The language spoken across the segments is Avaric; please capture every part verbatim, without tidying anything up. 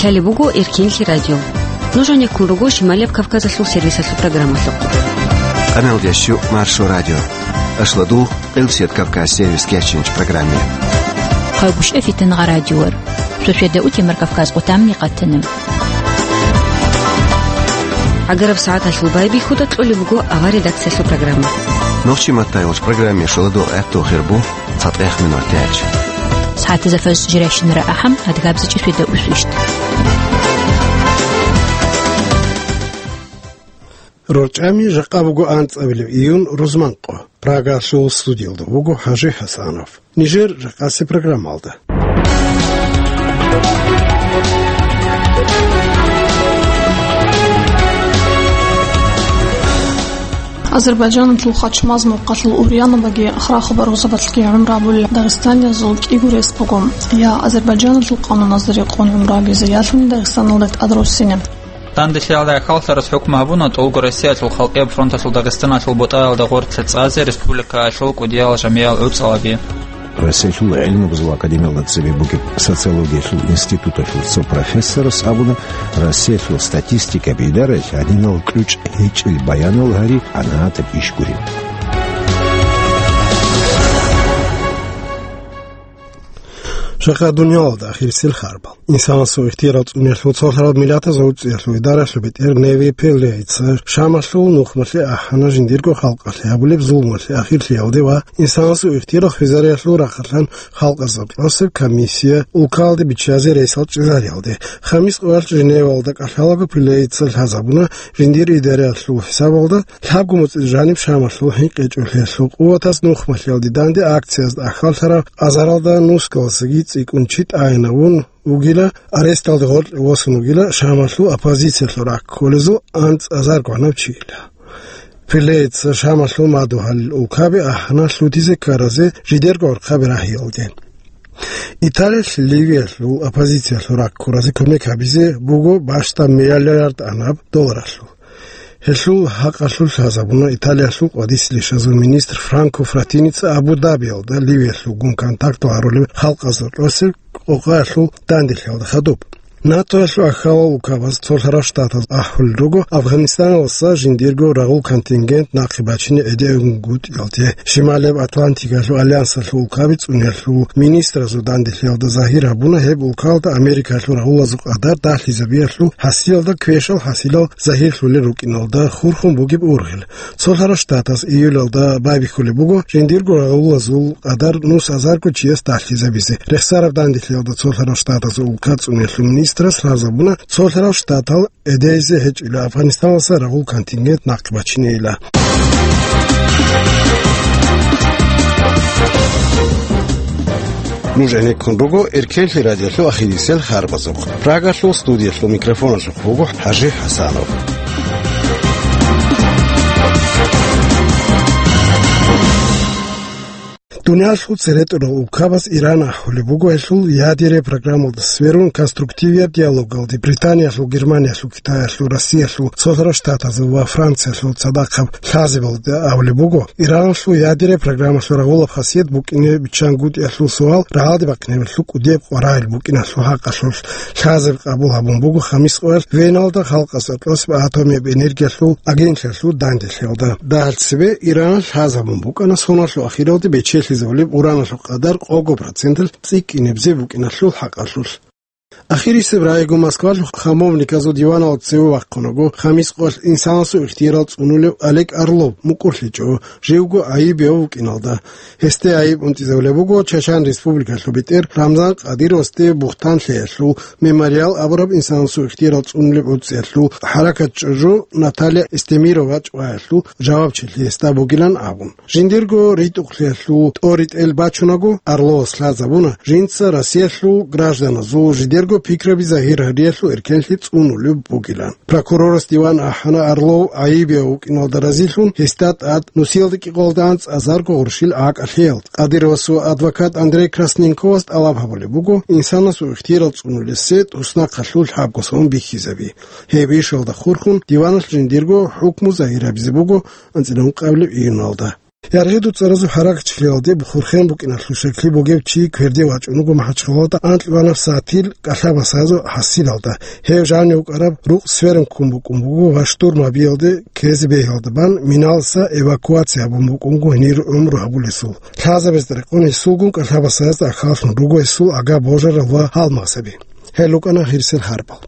Лъалеб буго Эркенлъи радио. Нуж гьанеккун руго Шималияб Кавказалъул сервисалъул программалъухъ. Къаналдиясчу Маршо радио. Ашладул Къилсият Кавказ сервис кечинч программе. Хъайгушев Фитангъа радиор. Шошеда утемар Кавказ къутамни къатана. Агараб сагӀаталъул байбихьуда кьолеб буго авар редакциялъул программа. Нохчи маттайгъуч программе шоладул гӀехтул хирбу. ЦатӀех минутач. СагӀатазда фаз жирайщинара ахӀам, адгабзичӀи свида усвищ. РорчӀами жакъа буго анцӀабилеб июн рузманкъо. Прагалъул студиялда вуго ХӀажи ХӀасанов. Нижер жакъаси программалда. Азербайджаналъул Хачмаз мухъалъул ургьянабаги хра-хабар гъузабазги гӀумру гьабулел дагъистаниязул кӀиго рес буго. Я Азербайджаналъул къануназдаса рекъон гӀумру гьабизе, ялъуни Дагъистаналда тӀад руссине. Данделъиялда хӀалалъарас хӀукму гьабуна ТӀолго Россиялъул халкъияб фронталъул Дагъистаналъул ботӀаялда гъорлъ цӀазе республикаялъул кӀудиялал жамиял гӀуцӀалаби. Россиялъул гӀилму-гьезул академиялда цебе бугеб социологиялъул институталъул цо профессорас абуна, Россиялъул статистикаби идараялъ гьадинал кьучӀ гьечӀел баянал гьари гӀадатаб иш гурин. Жакъа дуниялалда ахирисел харбал. Инсанасул ихтияр цӀуниялъул цолъарал миллатазул гӀуцӀиялъул идаралъул бетӀер Неви Пеллейца Шамалъул нухмалъе ахӀана жиндирго халкъалъе гьабулеб зулмалъе ахирлъиялде ва инсанасул ихтияр хвезариялъул рахъалъан халкъазда кьосеб комиссия улкалде биччазе рейсал чӀезариялде. Хамис къоялъ Женевалда кӀалъалаго Пеллейца лъазабуна жиндир идараялъул хӀисабалда, лъабго муцӀида жаниб Шамалъул хӀинкъичӀолъиялъул къуватаз нухмалъиялде данде акциязда ахьаллъараб азаралда нусгалдасаги цӀикӀкӀун чи тӀагӀинавун вугила, аресталде гъоркье восун вугила Шамалъул оппозициялъул ракколезул анцӀазар гванав чийила. Пеллейца Шамалъул мадугьалил улкаби ахӀана лъутизе ккаразе жидерго гӀурхъаби рагьиялде. Италиялъ Ливиялъул оппозициялъул раккуразе кумек гьабизе буго бащдаб миллиард анаб долларалъул. Гьелъул гьакъалъулъ лъазабуна Италиялъул къватӀиса лъишазул министр Франко Фратиница Абу-Дабиялда Ливиялъул гун контактал гьарулел халкъазда кьосеб къокъаялъул данделъиялда хадуб. НАТОялъул ахьалал улкабаз цолъарал штатаз ахӀулел руго Афганистаналдаса жиндирго рагъул контингент нахъе бачине гӀедегӀунгутӀиялде. Шималияб Атлантикалъул альянсалъул улкаби цӀуниялъул министразул данделъиялда загьир гьабуна гьеб улкалда Америкалъул рагъулазул къадар далъизабиялъул хӀасиялда квешал хӀасилал загьирлъулел рукӀиналда хурхун бугеб ургъел. Цолъарал штатаз июлалда байбихьулеб буго жиндирго рагъулазул къадар нус азарго чияс далъизабизе. Рехсараб данделъиялда цолъарал штатазул улка цӀуниялъул министрас лъазабуна, цолъарал штатал гӀедейзе гьечӀила Афганистаналдаса рагъул контингент нахъе бачинейила. Нуж гӀенеккун руго Эркенлъи радиолъул ахирисел харбазухъ. Прагалъул студиялъул микрофоналъухъ вуго ХӀажи ХӀасанов. Дуниялъул цере тӀурал улкабаз Иран ахӀулеб буго гьелъул ядерный программалда сверун конструктивияб диалогалде Британиялъул, Германиялъул, Китаялъул, Россиялъул, Цолъарал Штатазул ва Франциялъул цадахъаб лъазабилалда абулеб буго, Иранлъул ядерный программалъул рагъулаб хасият букӀине биччангутӀиялъул суал рагӀалде бахъинабиялъул кӀудияб къваригӀел букӀиналъул хӀакъалъулъ лъазаби къабул гьабун буго Хамис къоялъ Веналда халкъалъ кьосеб атомияб энергиялъул агенталъул данделъиялда. Дагьалъ цебе Иранал лъазабун букӀана соналъул ахиралде бечелъизабулеб ураналъул къадар къого проценталъ цӀикӀкӀинабизе букӀиналъул хӀакъалъулъ. Ахирисеб рагӀиго Москвалъул хамовниказул диваналда цеве вахъунаго, Хамис къоялъ инсанасул ихтиярал цӀунулев Олег Орлов мукӀурлъичӀо, живго гӀайибияв вукӀиналда. Гьесде гӀайиб унтӀизабулеб буго Чачан Республикалъул бетӀер Рамзан Кадыровасде бугьтан лъеялъул, Мемориал абураб инсанасул ихтиярал цӀунулеб гӀуцӀиялъул, ХӀаракат ЧӀужу Наталья Эстемирова чӀваялъул жавабчилъи гьесда бугилан абун. Жиндирго ритӀухълъиялъул тӀоритӀел бачунаго, Орловас лъазабуна, жинца Россиялъул гражданазул жидерго пикраби загьир гьариялъул эркенлъи цӀунулеб бугилан. Прокурорас диван ахӀана Орлов гӀайибияв вукӀиналда разилъун, гьесда тӀад нусиялда кӀикъоялда анцӀазарго гъурщил гӀакӀалъиялд. Кадыровасул адвокат Андрей Красненковас тӀалаб гьабулеб буго, инсанасул ихтиярал цӀунулесе туснахъалъул лъабго сон бихьизаби. Гьеб ишалда хурхун, диваналъ жиндирго хӀукму загьир гьабизе буго анцӀила ункъабилеб июналда. Яргъиду цӀаразул хӀаракатчилалде бухурхен букӀиналъул щеклъи бугев чи кверде вачӀун вуго МахӀачхъалалда анкьабилеб сагӀатил кӀалъабасазул хӀасилалда. Гьев жанив вукӀараб рукъ сверун ккун букӀун буго ва штурм гьабиялде ккезе бегьиялда бан миналдаса эвакуация гьабун букӀун буго гьенир гӀумру гьабулесул. Лъазабазда рекъон гьесулгун кӀалъабасазда ахаллъун руго гьесул ага божарал ва гьалмагъзаби. Гьел рукӀана гъирсел хӀарбал.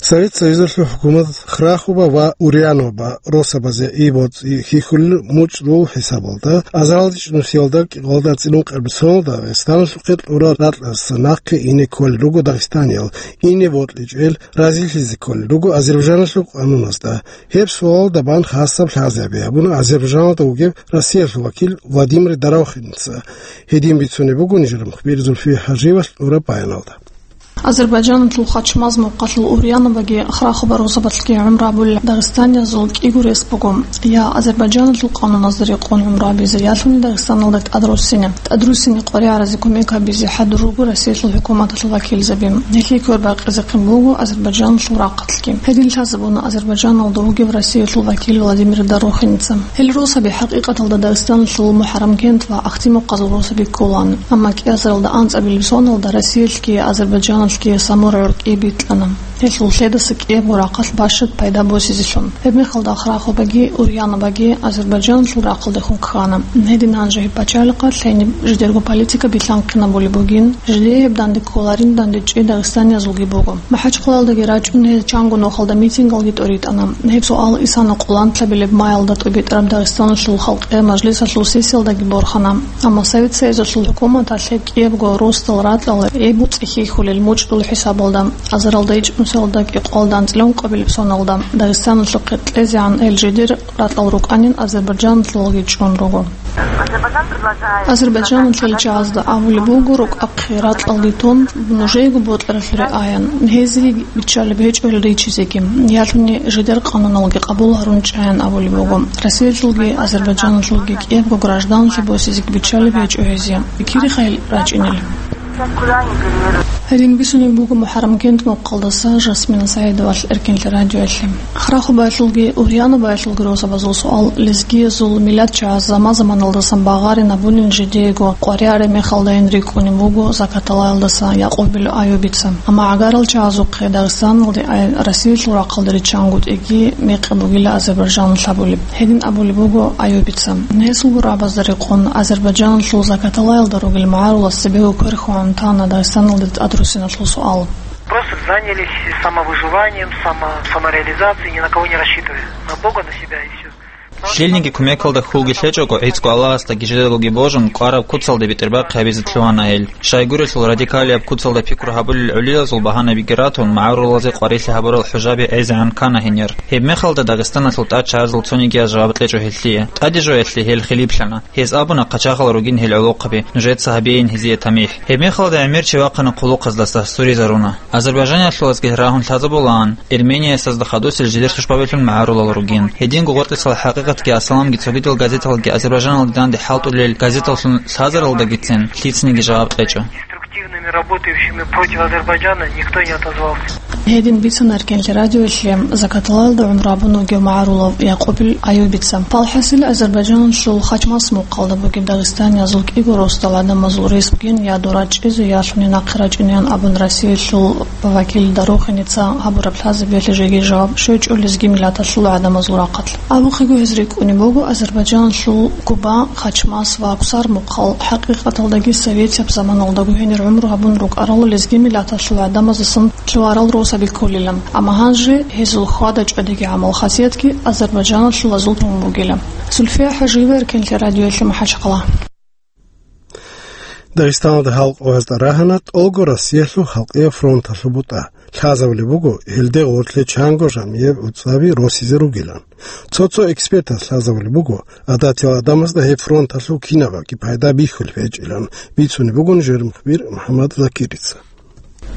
Совет Союзалъул хӀукумат Храхуба ва Урьянова росабазе и боцӀи хьихьулел мучӀдул хӀисабалда, азаралда чӀунусиялда кӀикъоялда анцӀила ункъабилеб соналда Дагъистаналъухъе кьураб ракьалдаса нахъе ине кколел руго дагъистаниял, ине бокьичӀел разилъизе кколел руго Азербайджаналъул къануназда. Гьеб суалалда бан хасаб лъазаби гьабуна Азербайджаналда вугев Россиялъул вакил Владимир Дорохинца. Гьедин бицунеб буго нижер мухбир Зульфия ХӀажиевалъ кьураб баяналда. Азербайджаналъул Хачмаз мухъалъул Урьяноваги Храхуба росабалъги гӀумру гьабулел дагъистаниязул кӀиго рес буго: я Азербайджаналъул къануназда рекъон гӀумру гьабизе, ялъуни Дагъистаналда тӀадруссине. ТӀадруссине къваригӀаразе кумек гьабизе хӀадур руго Россиялъул хӀукуматалъул вакилзаби. Гьелъие квербакъизе хъин буго Азербайджаналъул рахъалъги. Гьедин лъазабуна Азербайджаналда вугев Россиялъул вакил Владимир Дорохинца. Гьел росаби хӀакъикъаталда Дагъистаналъул МухӀаррамкент ва Ахтимухъазул росаби кколаан, амма кӀиазаралда анцӀабилеб соналда Россиялъги Азербайджаналъги Самур гӀуркӀи бикьана, гьелъул лъедаса кӀиябго рахъалъ бащад пайда босизелъун. Гьебмехалда Храхубаги Урьяноваги Азербайджаналъул рахъалдехун ккана. Гьедин гьанже гьеб пачалихъалъ гьениб жидерго политика билълъанхъинабулеб бугин, жидее гьеб данде кколарин дандечӀей дагъистаниязулги буго. МахӀачхъалалдаги рачӀун гьез чанго нухалда митингалги тӀоритӀана. Гьеб суал исана къоланлъабилеб маялда тӀобитӀараб Дагъистаналъул халкъиял мажлисалъул сессиялдаги борхана. Амма Совет Союзалъул хӀукуматалъ гьеб кӀиябго росдал ракьал гьеб боцӀи хьихьулел мучӀдул хӀисабалда, азаралда ичӀнусиялда кӀикъоялда анцӀила ункъабилеб соналда Дагъистаналъухъе кьезегӀан гьел жидер ракьал рукӀанин Азербайджаналъулги чӀун руго. Азербайджаналъул чагӀазда абулеб буго, рукӀахъе ракьалги тун, нужеего бокьаралъуре аян. Гьезие биччалеб гьечӀо гьел ричизеги, ялъуни жидер къануналги къабул гьарун чӀаян абулеб буго. Россиялъулги Азербайджаналъулги кӀиябго гражданлъи босизеги биччалеб гьечӀо гьезие. Кири хъайил рачӀинел. Гьедин бицунеб буго МухӀаррамкент мухъалдаса Жасмина СагӀидовалъ Эркенлъи радиоялъе. Храхубаялъулги Урьяноваялъулги росабазул суал лезгиязул миллатчагӀаз заман-заманалдасан багъарин абунин жидеего къваригӀараб мехалдайин рикӀкӀунеб буго Закаталаялдаса Якъубил Аюбица. Амма гӀагарал чагӀазухъе Дагъистаналде ай Россиялъул рахъалда риччангутӀиги мекъи бугила Азербайджаналъ абулеб. Гьедин абулеб буго Аюбица. Гьесул гурабазда рекъон Азербайджаналъул Закаталаялда ругел магӀарулас цебего квер хьван тана Дагъистаналде тӀадруссиналъул суал. Просто занялись самовыживанием, само-, самореализацией, ни на кого не рассчитывая. На Бога, на себя и всё. Щибниги кумекалда хьулги лъечӀого, гӀицӀго Аллагьасдаги жидедаги божун, кӀвараб куцалде бетӀербахъи гьабизе лъугьана гьел. Щайгурелъул радикалияб куцалда пикру гьабулел гӀолилазул багьанаби гьабурал, магӀарулазе къварилъи гьабурал хӀужаби гӀезегӀан ккана гьенир. Гьебмехалда Дагъистаналъул тӀадчагӀазул цонигияс жаваб кьечӀо гьелъие. ТӀадежояхъе гьел хилиплъана. Гьез абуна, хъачагъал ругин гьел гӀолохъаби, нужеца гьабейин гьезие тамихӀ. Гьебмехалда гӀемер чи вахъана хъулухъаздаса, суризаруна. Азербайджаниялъулазги рагьун лъазабулаан, Эрмениясдазда хадусел жидер сушбабилъун магӀарулал ругин. Гьединго гъоркьисал хӀакъикъатги асаламги цогидал газеталги Азербайджаналде данде хӀалтӀулел газеталлъун лъазаралдагицин лъицаниги жаваб кьечӀо. Активными работающими против Азербайджана никто не отозвался. Гьедин бицана Эркенлъи радиоялъе Закаталаялда гӀумру гьабун вугев магӀарулав Якъубил Аюбица. Палхасил Азербайджаналъул Хачмаз мухъалда бугеб дагъистаниязул кӀиго росдал гӀадамазул рес бугин я дора чӀезе, я лъуни нахъе рачӀунеян абун Россиялъул вакил Дорохинеца гьабураб лъазабиялъе жеги жаваб щвечӀо лезги миллаталъул гӀадамазул рахъалъ. Абухъего гьез рикӀкӀунеб буго Азербайджаналъул Куба, Хачмаз ва Кусар мухъал, хӀакъикъаталдаги советияб заманалдаго гьенир гӀумру гьабун рукӀарал лезги миллаталъул гӀадамаздасан лъугьарал росаби кколилан. Амма гьанже гьезул хьвада-чӀвадиги гӀамал-хасиятги азербайджаналъулазул тун бугила. Зульфия ХӀажиева, Эркенлъи радиоялъе, МахӀачхъала. Дагъистаналда халкъ гӀезда рагьана тӀолго Россиялъул халкъияб фронталъул бутӀа. Лъазабулеб буго, гьелде гъорлъе чанго жамияб уцаби росизе ругилан. Цо-цо экспертаз лъазабулеб буго, гӀадатиял гӀадамазда гьеб фронталъул кинабаги пайда бихьулеб гьечӀилан, бицунеб бугон жер мухбир МухӀаммад Закирица.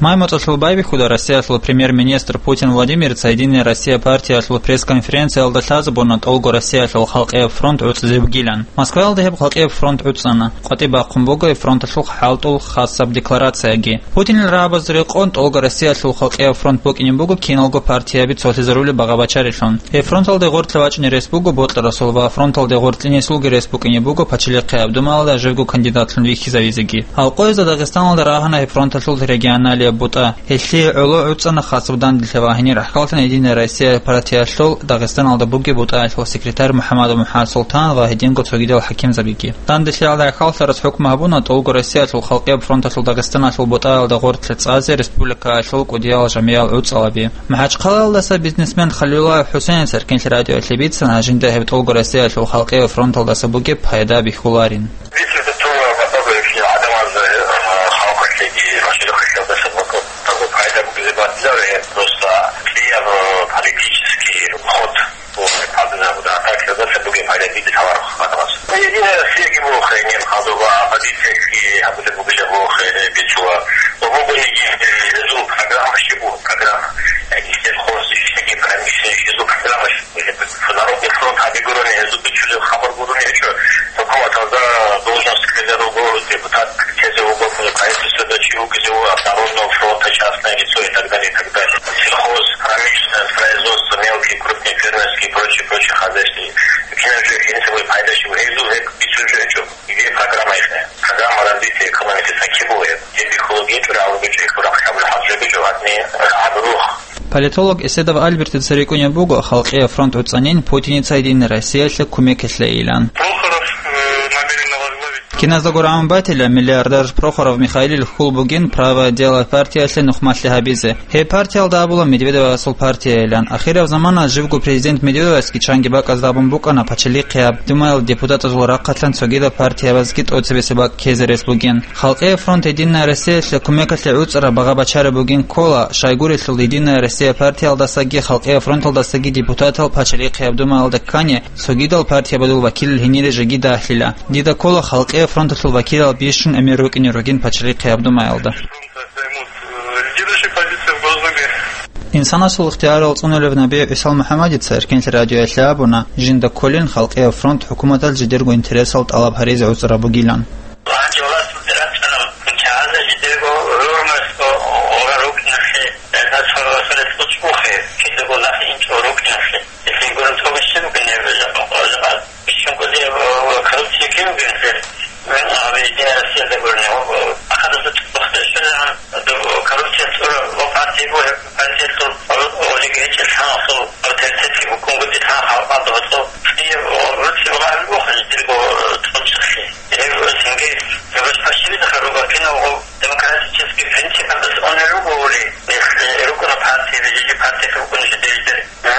Май моцӀалъул байбихьуда Россиялъул премьер-министр Путин Владимирца «Единая Россия» партиялъул пресс-конференциялда лъазабуна ТӀолго Россиялъул халкъияб фронт гӀуцӀизе бугилан. Москваялда гьеб халкъияб фронт гӀуцӀана. КъватӀиб бахъун буго гьеб фронталъул хӀалтӀул хасаб декларацияги. Путинил рагӀабаз рекъон, ТӀолго Россиялъул халкъияб фронт букӀине буго киналго партияби цолъизарулеб багъа-бачарилъун. Гьеб фронталде гъорлъе вачӀине рес буго бокьарасул ва фронталде гъорлъине несулги рес букӀине буго Пачалихъияб Думаялда живго кандидатлъун вихьизавизеги. Гьалкъоязда Дагъистаналда рагьана гьеб фронталъул регионалияб бутӀа. Гьелъие гӀоло гӀуцӀана хасаб данделъи ва гьенир рахӀкаллъана «Единая Россия» партиялъул Дагъистаналда бугеб бутӀаялъул секретарь МухӀамадов МухӀамад Султан ва гьединго цогидал хӀакимзабиги. Данделъиялда рахӀкаллъарас хӀукму гьабуна ТӀолго Россиялъул халкъияб фронталъул Дагъистаналъул бутӀаялда гъорлъе цӀазе республикаялъул кӀудиял жамиял гӀуцӀалаби. МахӀачхъалаялдаса бизнесмен Халилуллаев ХӀусейница Эркенлъи радиоялъе бицана, жинда гьеб ТӀолго Россиялъул халкъияб фронталдаса бугеб пайда бихьуларин. Бицина тура батаберхи адамаз, э, халкъалъеги маширахъалдаса батабу пайда бугизе батиларе, просто кьияб, э, политический ход. Гьадинаб атакаялдаса бугеб пайда диде таварухъ гьадамаз. Единая Россияги бугохъе, неб хадуба, оппозицияги гьабулеб бугила бугохъе, бицула. Ва бугониги, э, гьезул программа щиб буго, программа. Яги сельхоз, яги промышленность, гьезул программа щиб буго. Народный фронт гьабигурони, гьезул бичулеб хабар гурони гьечӀо. ХӀукуматалда должность ккезе руго, депутат ккезе руго, правительствода чи вукӀизе вуго, Народного фронта частное лицо и так далее, и так далее. Сельхоз, промышленность, производство, мелкие, крупные фермерские и прочие, прочие хозяйства. Кинаб жо гьениб пайда щиб, гьезул гьеб бицун жо гьечӀо. Идея программа ихне. Программа развития экономики сахибуе. Гьеб бихьулеб гьечӀо, рагӀулеб гьечӀо, хурахъ хӀабулеб гьаб жо гьечӀо, гьадни рагӀаб рух. Политолог Эседов Альбертица рикӀкӀунеб буго халкъияб фронт гӀуцӀанин Путиница Единая Россиялъе кумекалъейилан. Прохоров, э, намерен возглавить. Киназдаго рагӀун батила, миллиардер Прохоров Михаилил хьул бугин «Правое дело» партиялъе нухмалъи гьабизе. Гьеб партиялда абула Медведевасул партияйилан. Ахираб замана живго президент Медведевасги чанги бакӀазда абун букӀана Пачалихъияб Думаялъ депутатазул рахъалъан цогидаб партиябазги тӀоцебесеб бакӀ ккезе рес бугин. Халкъияб фронт Единая Россиялъе кумекалъе гӀуцӀараб багъа-бачараб бугин ккола, щайгурелъул Единая Россия партиялдасаги Халкъияб фронталдасаги депутатал Пачалихъияб Думаялда ккани, цогидал партиябазул вакилал гьенире жеги дагьлъила. Дида ккола Халкъияб фронталъул вакилал бищун гӀемер рукӀине ругин Пачалихъияб Думаялда. Лидирующая позиция в Госдуме. Инсанасул ихтиярал цӀунулев набий ГӀисал МухӀаммадица Эркенлъи радиоялъе абуна, жинда кколин Халкъияб фронт хӀукуматалъ жидерго интересал тӀалаб гьаризе гӀуцӀараб бугилан. Гьанже власталде рачӀарал чагӀазда жидерго гӀумру ора рукӀиналъе, гьезда цо-, цо рес кьучӀ бухъе, кидаго нахъе инчӀо рукӀиналъе. Гьелъие гурун цо бищун бугин гьеб жакъа, жакъа бищун кӀудияб, э, коррупция кин бугин гьел. Мин гьаб Единая Россиялда гурони, э, ахадаса цӀухъде щвезегӀан, э, коррупция цӀура ва партияб, э, партиялъул, э, олигархиял лъан асул авторитетги букӀунгутӀи лъан халкъалда гьоркьоб кьияб, э, руцеб гъайб буго жидерго, э, цӀунцӀалъе. Гьеб, э, цинги, гьеб башбашибизаха руго киналго демократический принципалдаса унел руго ури. Если рукӀуна партияби, жиги партиялъ рукӀуна жидер-жидер, э,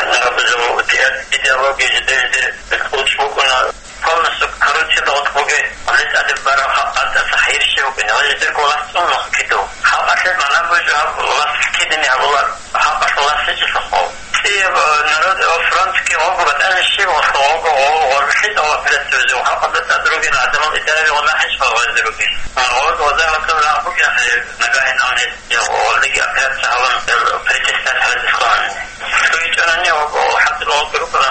гьаб-, идеология жидер-жидер кьучӀ букӀуна. Полностью коррупцияда гъоркь бугеб, гьале тӀаде бараб халкъалдаса хайир щиб букӀине, ва жидерго власть цӀун нух кидав. Халкъалъе магӀна бугеб жо гьаб власть кидани гьабуларо, халкъалъул власть гьечӀелъухъ. КӀияб, э, народ, э, фронтги гъого батӀалищи, гъолъ гъого, гъо-, гъоркьлъи тӀалаб гьабизе, халкъалда тӀад ругел гӀадамал идараби гъолахӀищ гъозде ругел. Гъо-, гъозда гьоркьоб рагъ бугеб, нагагьин гьаниб, я, гъолдеги операция гьабун, э, притеснять гьабизе кколани. Цо гьечӀонани гъо-, гъо-, хӀатӀир гъолги рукӀана.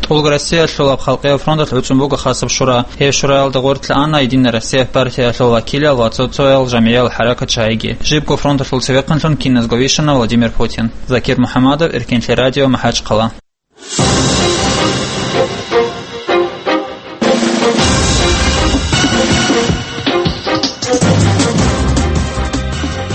ТӀолго Россиялъулаб халкъиял фронталъ гӀуцӀун буго хасаб шура. Гьеб шураялда гъорлъ ана Единая Россия партиялъул вакилал ва цо-цоял жамигӀиял хӀаракатчагӀиги. Жибго фронталъул цевехъанлъун киназго вищана Владимир Путин. Закир МухӀамадов, Эркенлъи радио, МахӀачхъала.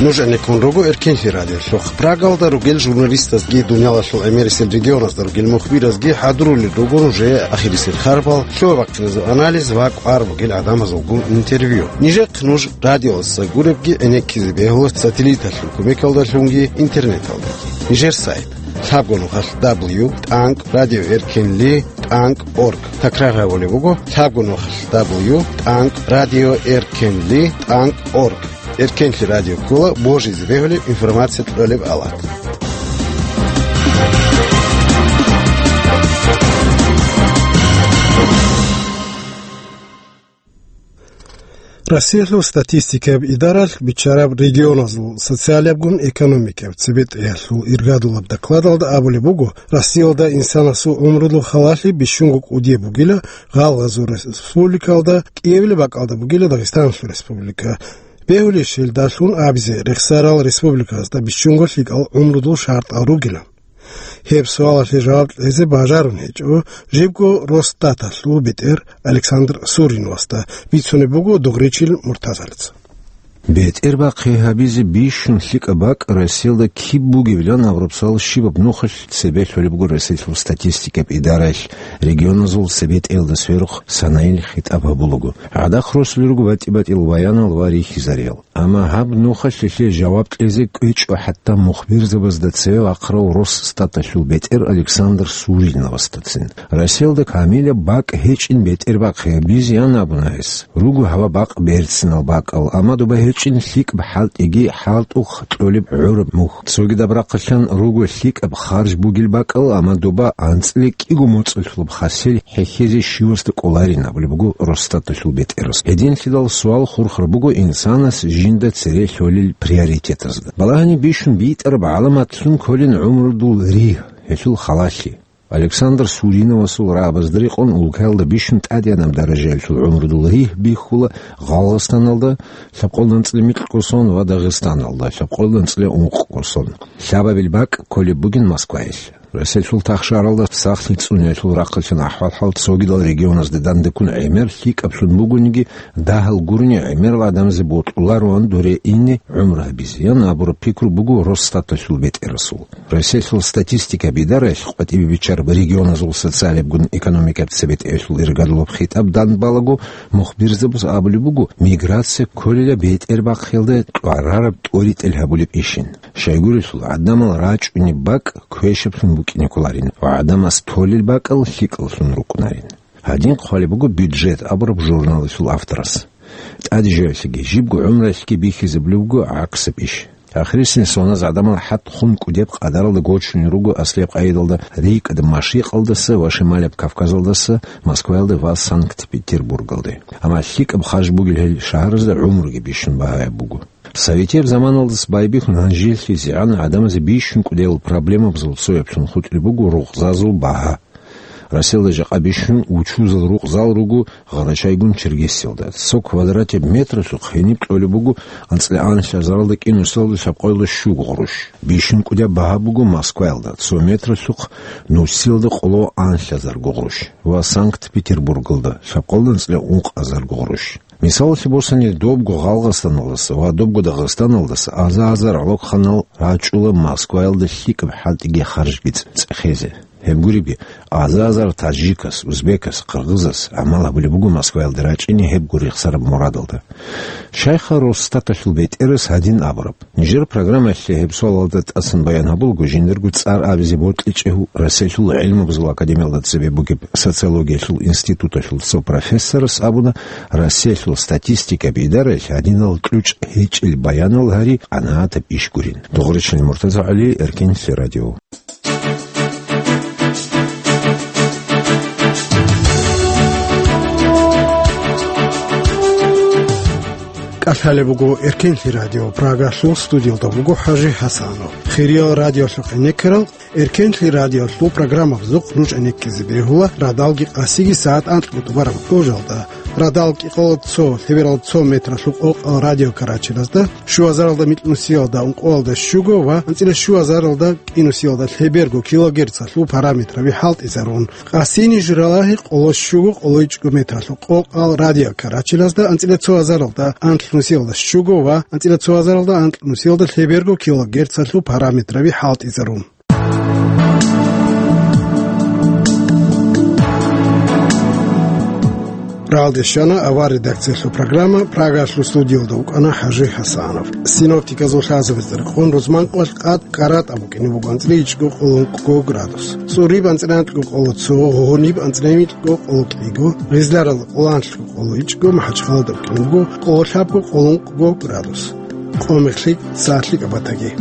Нуж гӀенеккун руго Эркенлъи радиолъухъ. Прагалда ругел журналистазги, дуниялалъул гӀемерисел регионазда ругел мухбиразги хӀадурулел руго нужее ахирисел харбал, лъугӀа-бахъиназул анализ ва кӀвар бугел гӀадамазулгун интервью. Нижехъ нуж радиоялдаса гуребги гӀенеккизе бегьула сателлиталъул кумекалдалъунги интернеталдаги. Нижер сайт: лъабго нухалъ дабл ю тӀанкӀ радио эркенли тӀанкӀ орг. Такрар гьабулеб буго: лъабго нухалъ дабл ю тӀанкӀ радио эркенли тӀанкӀ орг. Эркенлъи радио ккола божизе бегьулеб информация кьолеб алат. Россиялъул статистикаб идаралъ биччараб регионазул социалиябгун экономикаб цебетӀеялъул иргадулаб докладалда абулеб буго, Россиялда инсанасул гӀумрудул халалъи бищунго кӀудияб бугила, гъалгъазул республикалда, кӀиабилеб бакӀалда бугила Дагъистаналъул республика. Бегьулищ гьелдалъун абизе, рехсарал республикаялда бищунго лъикӀал гӀумрудул шартӀал ругилан? Гьеб суалалъе жаваб кьезе бажарун гьечӀо жибго Росстаталъул бетӀер Александр Суриновасда, бицунеб буго Дугъричил Муртазалица. БетӀербахъи гьабизе бищун лъикӀаб бакӀ Россиялда киб бугебилан абураб суал щибаб нухалъ цебе лъолеб буго Россиялъул статистикаб идараялъ регионазул цебетӀеялда сверухъ санайил хитӀаб гьабулаго. ГӀадахъ росулел руго батӀи-батӀиял баянал ва рихьизариял. Амма гьаб нухалъ гьелъие жаваб кьезе кӀвечӀо хӀатта мухбирзабазда цеве вахъарав Росстаталъул бетӀер Александр Суриновасдацин. Россиялда камилаб бакӀ гьечӀин бетӀербахъи гьабизеян абуна гьес. Руго гьабаб бакъ берцинал бакӀал, амма доба гьечӀин лъикӀаб хӀалтӀиги хӀалтӀухъ кьолеб гӀураб мухь. Цогидаб рахъалъан руго лъикӀаб харж бугил бакӀал, амма доба анцӀила кӀиго моцӀалъулаб хасел хӀехьезе щивасда кӀоларин абулеб буго Росстаталъул бетӀерас. Гьединлъидал суал хурхараб буго инсанас жинда цере лъолел приоритетазда. Балагьани бищун битӀараб гӀаламатлъун кколин гӀумрудул ригь, гьелъул халалъи. Александр Суриновасул рагӀабазда рекъон улкаялда бищун тӀадегӀанаб даражаялъул гӀумрудул ригь бихьула Гъалгъастаналда лъабкъоялда анцӀила микьго сон ва Дагъистаналда лъабкъоялда анцӀила ункъго сон. Лъабабил бакӀ кколеб бугин Москваялъ. Россиялъул тахшаралда сахлъи цӀуниялъул рахъалъан ахӀвал-хӀал цогидал регионазда дандеккун гӀемер лъикӀаблъун бугониги, дагьал гурони гӀемерал гӀадамазе бокьулароан доре ине гӀумру гьабизеян абураб пикру буго Росстаталъул бетӀерасул. Россиялъул статистикаб идараялъ къватӀибе биччараб регионазул социалиябгун экономикаб цебетӀеялъул иргадулаб хитӀаб данде балаго, мухбирзабаз абулеб буго, миграция кколила бетӀербахъиялда кьварараб тӀоритӀел гьабулеб ишин. Щайгурелъул, гӀадамал рачӀунеб бакӀ квешаблъун букӀине кколарин ва гӀадамас толел бакӀал лъикӀаллъун рукӀунарин. Гьадин хъвалеб буго «Бюджет» абураб журналалъул авторас. ТӀадежавлъиги, жибго гӀумруялъги бихьизабулеб буго гӀаксаб иш. Ахирисеб соназ гӀадамал хӀатӀ хун кӀудияб къадаралда гочунел руго аслияб къайдалда рикӀкӀад Машрикъалдаса ва Шималияб Кавказалдаса Москваялде ва Санкт-Петербургалде. Амма лъикӀаб харж бугел гьел шагьаразда гӀумруги бищун багьаяб буго. Советияб заманалдаса байбихьун гьанжелъизегӀан гӀадамазе бищун кӀудиял проблемабазул цояблъун хутӀулеб буго рукъзазул багьа. Россиялда жакъа бищун учузал рукъзал руго Гъарачайгун Черкесиялда. Цо квадратеб метралъухъ гьениб кьолеб буго анцӀила анлъазаралда кӀинусиялда лъабкъоялда щуго гъурущ. Бищун кӀудияб багьа буго Москваялда, цо метралъухъ нусиялда къоло анлъазарго гъурущ, ва Санкт-Петербургалда лъабкъоялда анцӀила ункъазарго гъурущ. Мисалалъе босани, добго Гъалгъастаналдаса ва добго Дагъистаналдаса аза-азар гӀолохъанал рачӀула Москваялда лъикӀаб хӀалтӀиги харжги цӀехезе. Гьеб гуребги, аза-азар таджикас, узбекас, къыргъызас гӀамал гьабулеб буго Москваялде рачӀине гьеб гуреб рехсараб мурадалда. Щайха Росстаталъул бетӀерас гьадин абураб? Нижер программаялъе гьеб суалалда тӀасан баян гьабулаго, жиндирго цӀар абизе бокьичӀев Россиялъул гӀилмубазул академиялда цебе бугеб социологиялъул институталъул цо профессорас абуна, Россиялъул статистикаб идараялъ гьадинал кьучӀ гьечӀел баянал гьари къанагӀатаб иш гурин. Дугъричил МуртазагӀали, Эркенлъи радио. КӀалъалеб буго Эркенлъи радио, Прагалъул студиялда вуго ХӀажи ХӀасанов. Хириял радиолъухъ гӀенеккарал, Эркенлъи радиолъул программабазухъ нуж гӀенеккизе бегьула радалги къасиги сагӀат анкьго тӀубараб кьужалда. Радал кӀикъоялда цо, лъебералда цо метралъул къокъал радиокарачелазда, щуазаралда микьнусиялда ункъоялда щуго ва анцӀила щуазаралда кӀинусиялда лъеберго килогерцалъул параметраби хӀалтӀизарун. Къасини журалагьи къоло щуго къоло ичӀго метралъул къокъал радиокарачелазда анцӀила цо азаралда анкьнусиялда щуго ва анцӀила цо азаралда анкьнусиялда лъеберго килогерцалъул параметраби хӀалтӀизарун. Ралде щвана авар редакциялъул программа, Прагалъул студиялда вукӀана ХӀажи ХӀасанов. Синоптиказул лъазабазда рекъон рузман къоялъ къад КӀаратӀа букӀине буго анцӀила ичӀго къоло ункъго градус. ЦӀуриб анцӀила анкьго къоло цо, гьуниб анцӀила микьго къоло кӀиго, гъизларалда къоло анлъго къоло ичӀго, МахӀачхъалада букӀине буго къоло лъабго къоло ункъго градус. Къо мехлъи сагӀатлъи кӀабатаги.